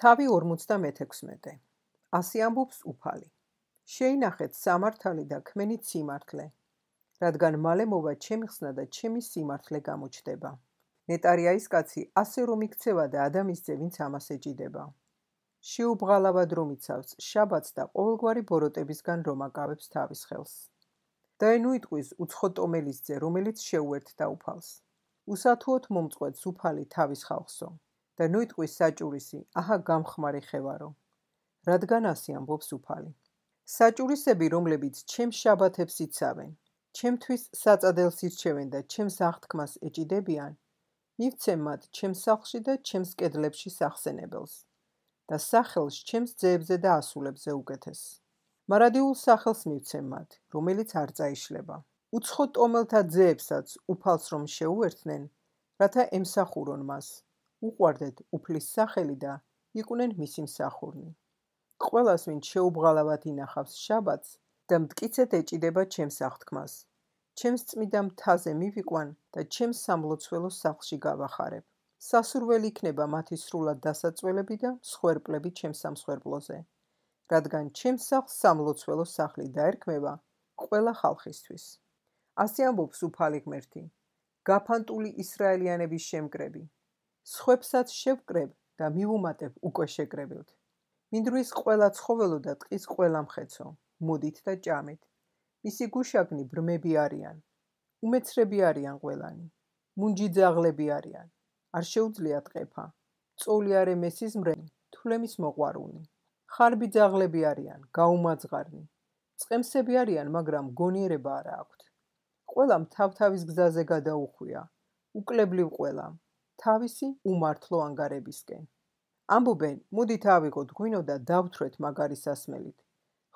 თავი 56. ასე ამბობს უფალი. შეინახეთ სამართალი და ქმენით სიმართლე, რადგან მალე მოვა ჩემი ხსნა და ჩემი სიმართლე გამოჩნდება. ნეტარია ის კაცი, ასე რომ იქცევა და ადამიანის ძე, ვინც ამას ეჭიდება. შეუბღალავად რომ იცავს შაბათს და ყოველგვარი ბოროტებისგან რომ აკავებს თავის ხელს. და ნუ იტყვის უცხო ტომელის ძე, რომელიც შეუერთდა უფალს. უსათუოდ მომწყვეტს უფალი თავის ხალხსო. და ნუ იტყვის საჭურისი, აჰა გამხმარი ხევარო. რადგან ასე ამბობს უფალი. საჭურისები, რომლებიც ჩემს შაბათებს იცავენ, ჩემთვის საწადელს ირჩევენ და ჩემს აღთქმას ეჭიდებიან, მივცემ მათ ჩემს სახლში და ჩემს კედლებში სახსენებელს და სახელს ჩემს ძეებზე და ასულებზე უკეთეს. მარადიულ სახელს მივცემ მათ, რომელიც არ წაიშლება. უცხო ტომელთა ძეებსაც უფალს რომ შეუერთნენ, რათა ემსახურონ მას, უყვარდეთ უფლის სახელი და იყვნენ მისი მსახურნი. ყველას, ვინც შეუბღალავად ინახავს შაბათს და მტკიცედ ეჭიდება ჩემს აღთქმას, ჩემს წმიდა მთაზე მივიყვან და ჩემს სამლოცველოს სახლში გავახარებ. სასურველი იქნება მათი სრულად დასაწველები და მსხვერპლები ჩემს სამსხვერპლოზე, რადგან ჩემს სახლს სამლოცველო სახლი დაერქმევა ყველა ხალხისთვის. ასე ამბობს უფალი ღმერთი, გაფანტული ისრაელიანების შემკრები. სხვებსაც შევკრებ და მივუმატებ უკვე შეკრებილთ. მინდვრის ყველა ცხოველო და ტყის ყველა მხეცო, მოდით და ჭამეთ. მისი გუშაგნი ბრმები არიან, უმეცრები არიან ყველანი, მუნჯი ძაღლები არიან, არ შეუძლიათ ყეფა, წოლი არე მესიზმრენი, თვლემის მოყვარულნი. ხარბი ძაღლები არიან, გაუმაძღარნი, წყემსები არიან, მაგრამ გონიერება არა აქვთ. ყველამ თავთავის გზაზე გადაუხვია, უკლებლივ ყველამ, თავისი უმართლო ანგარებისკენ. ამბობენ, მოდით ავიღოთ ღვინო და დავთვრეთ მაგარი სასმელით.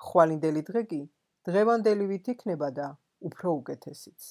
ხვალინდელი დღე კი დღევანდელივით იქნება და უფრო უკეთესიც.